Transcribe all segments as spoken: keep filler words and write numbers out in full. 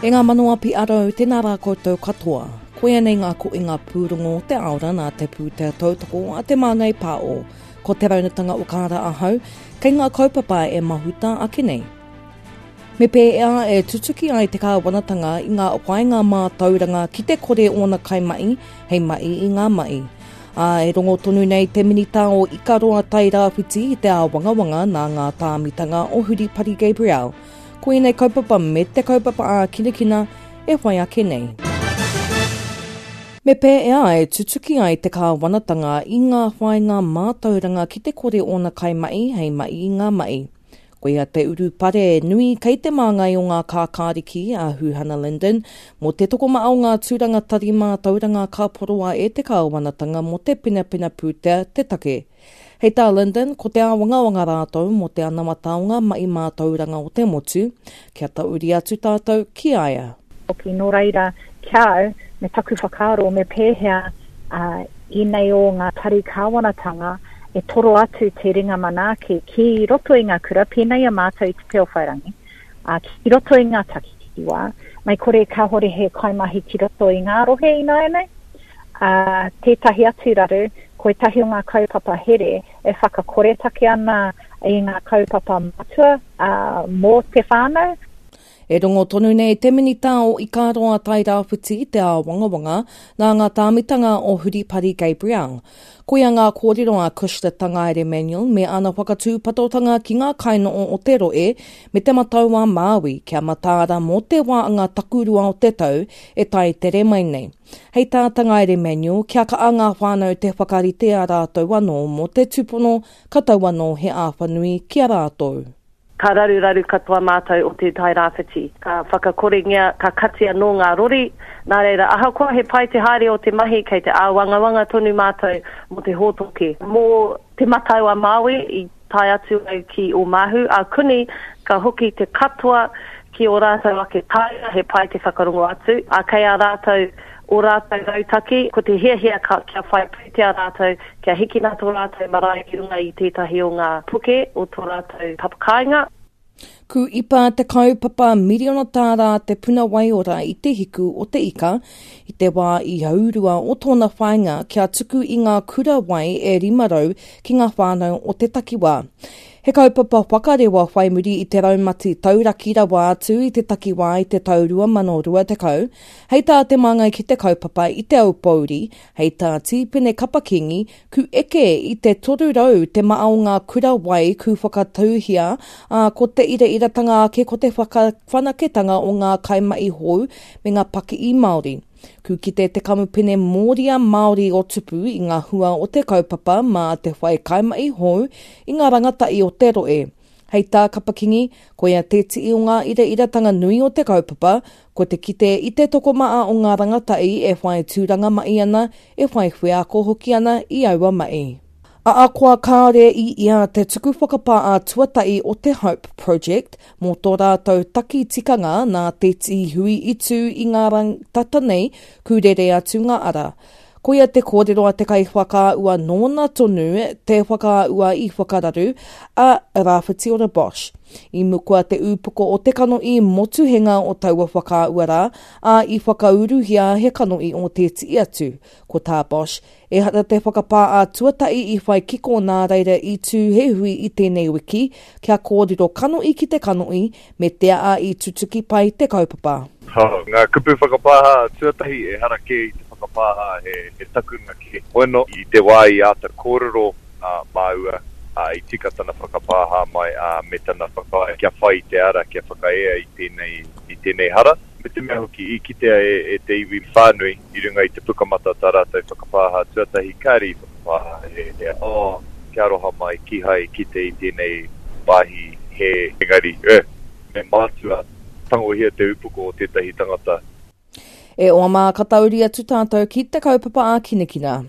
E ngā mano a P R O, tēnā rā koutou katoa. Koia nei ngā koinga pūrongo o te aora nā te pūtea tautoko a Te Māngai Pāo. Ko te raunatanga o kāra ahau, kei ngā kaupapa e mahuta ake nei. Me pēhea e tutuki ai te kāwanatanga i ngā whāinga mātauranga ki te kore ōna kaimahi hei mahi i ngā mahi. Ā, e rongo tonu nei te minita o Ikaroa Tairāwhiti i te āwangawanga nā ngā tāmitanga o Huripari Gabrielle. Ko ēnei kaupapa me te kaupapa ā-kinakina e whai ake nei. Me pēhea e tutuki ai te kāwanatanga i ngā whāinga mātauranga ki te kore ōna kaimahi hei mahi i ngā mahi. Koia te urupare nui kei te māngai o ngā kākāriki a Huhana Lyndon mō te tokomaha o ngā tūranga tari mātauranga ka poroa e te kāwanatanga mō te penapena pūtea te take. Hei tā Lyndon, ko te āwangawanga rātou mō te anamata o ngā mahi mātauranga o te motu, kia tahuri atu tātou ki a ia. Hoki, nō reira, kia au, me taku whakaaro, me pēhea uh, ēnei o ngā tari kāwanatanga e toro atu te ringa manaaki ki roto i ngā kura, pēnei a mātou i te Pēwhairangi, uh, ki roto i ngā takiwā, mei kore kāhore he kaimahi ki roto i ngā rohe ināianei. Uh, tētahi atu raru, ko ētahi o ngā kaupapa here e whakakoretake ana i ngā kaupapa matua uh, mō te whānau. E rongo tonu nei te minita o Ikaroa Tairāwhiti te āwangawanga nā ngā tāmitanga o Huripari Gabrielle. Koia ngā kōrero a Cushla Tangaere-Manuel me ana whakatūpatotanga ki ngā kainoho o te rohe me te Matau a Māui kia mataara mō te wā ngā takurua o te tau e tae tere mai nei. Hei tā Tangaere-Manuel, kia kaha ngā whānau te whakarite a rātou anō mō te tūpono ka tau anō he āwhanui ki a rātou. Ka raruraru katoa mātou o te Tairāwhiti. Ka whakakorengia, ka kati anō ngā rori. Nā reira, ahakoa he pai te haere o te mahi, kei te āwangawanga tonu mātou mō te hōtoke. Mō te Matau a Māui i tae atu au ki Omahu, a kuni ka hoki te katoa ki o rātou ake kāinga, he pai te whakarongo atu. A kei a rātou o rātou rautaki, ko te hiahia ka, kia whai pūtea rātou, kia hikina tō rātou marae i runga i tētahi o ngā puke o tō rātou papakāinga. Ku ipa te kaupapa miriona tāra te puna waiora i te hiku o te ika i te wā i haurua o tōna whāinga kia tuku i ngā kura wai e rima rau ki ngā whānau o te takiwā. He kaupapa whakarewa whai muri i te raumati tauraki rawa atu i te takiwā i te tau rua mano rua tekau, hei tā te māngai ki te kaupapa i Te Aupōuri, hei tā Tīpene Kapa-Kingi, ku eke i te toru rau te maha o ngā kura wai ku whakatauhia, ā, ko te irairatanga ake ko te whakawhanaketanga o ngā kaimahi hou me ngā pakihi Māori. Ku kite te kamupene Mōria Māori o Tupu i ngā hua o te kaupapa mā te whai kaimahi hou i ngā rangatahi o te rohe. Hei tā Kapa-Kingi, koia te tii o ngā irairatanga nui o te kaupapa, ko te kite i te tokomaha o ngā rangatahi e whai tūranga mahi ana, e whai wheako hoki ana i aua mahi. Ahakoa kāore i ia te tuku whakapā a tuatahi o te Hope Project mō tō rātou taki tikanga nā te hui i tū i ngā rā tata nei kūrere atu ngā ara. Koia te kōrero a te kaiwhakaahua nōna tonu te whakaahua i whakararu a Rāwhitiora Bosch. I mukua te ūpoko o te kanohi motuhenga o taua whakaahua rā, ā, i whakauruhia he kanohi o tētahi atu. Ko tā Bosch, ehara te whakapā a tuatahi i whai kiko nā reira i tū he hui i tēnei wiki, kia kōrero kanohi ki te kanohi me te aha i tutuki pai te kaupapa. Oh, ngā kupu whakapāha tuatahi ehara kē i te whakapāha he, he takuna kē. Bueno, i te wā i āta kōrero uh, māua, uh, i tika tana whakapāha mai uh, me tana whakaae kia whai te ara, kia whakaea i tēnei, i tēnei hara. Me te mea hoki i kitea e, e te iwi whānui i runga i te pukamata tā rātou whakapāha tuatahi kāre i whakapāha he, he oh, kia aroha mai kihai kite i tēnei wāhi he engari, eh, me mātua tangohia te upoko o tētahi tangata. E oa mā ka tahuri atu tātou ki te kaupapa ā-kinakina.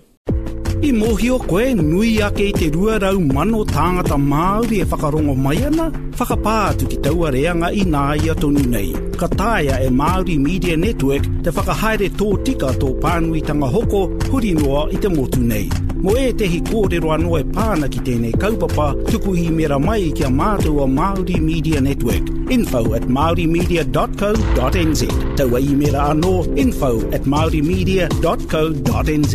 I mōhio koe nui ake i te rua rau mano tāngata Māori e whakarongo mai ana, whakapā atu ki taua reanga ināia tonu nei. Ka taea e Māori Media Network te whakahaere tō tika tō pānuitanga hoko huri noa i te motu nei. Mō ētehi kōrero anō e pā ana ki tēnei kaupapa, tuku īmera mai ki a mātou o Māori Media Network, info at maorimedia.co.nz. Taua īmera anō, info at maorimedia.co.nz.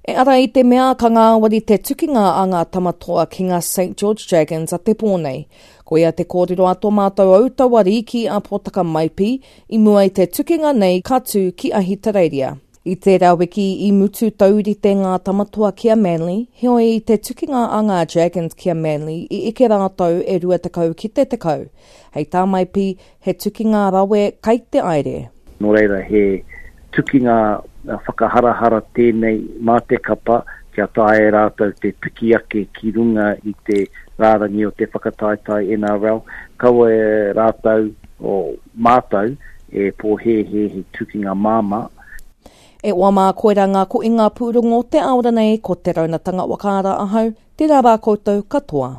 E ara i te mea ka ngāwari te tukinga a ngā tamatoa ki ngā St George Dragons a te pō nei. Koia te kōrero a tō mātou autauariki a Pōtaka Maipi i mua i te tukinga nei ka tū ki Ahitereiria. I tērā wiki i mutu taurite ngā tamatoa ki a Manly, heoi i te tukinga a ngā Dragons ki a Manly i eke rātou e rua tekau ki te tekau. Hei tā Maipi, he tukinga rawe kai te aere. Nō reira he tukinga whakaharahara tēnei mā te kapa kia taea e rātou te piki ake ki runga i te rārangi o te whakataetae NRL. Kaua e rātou o mātou e pōhēhē he tukinga māmā. E oa mā koira ngā koinga pūrongo te aora nei ko te raunatanga wakaara ahau, tērā rā koutou katoa.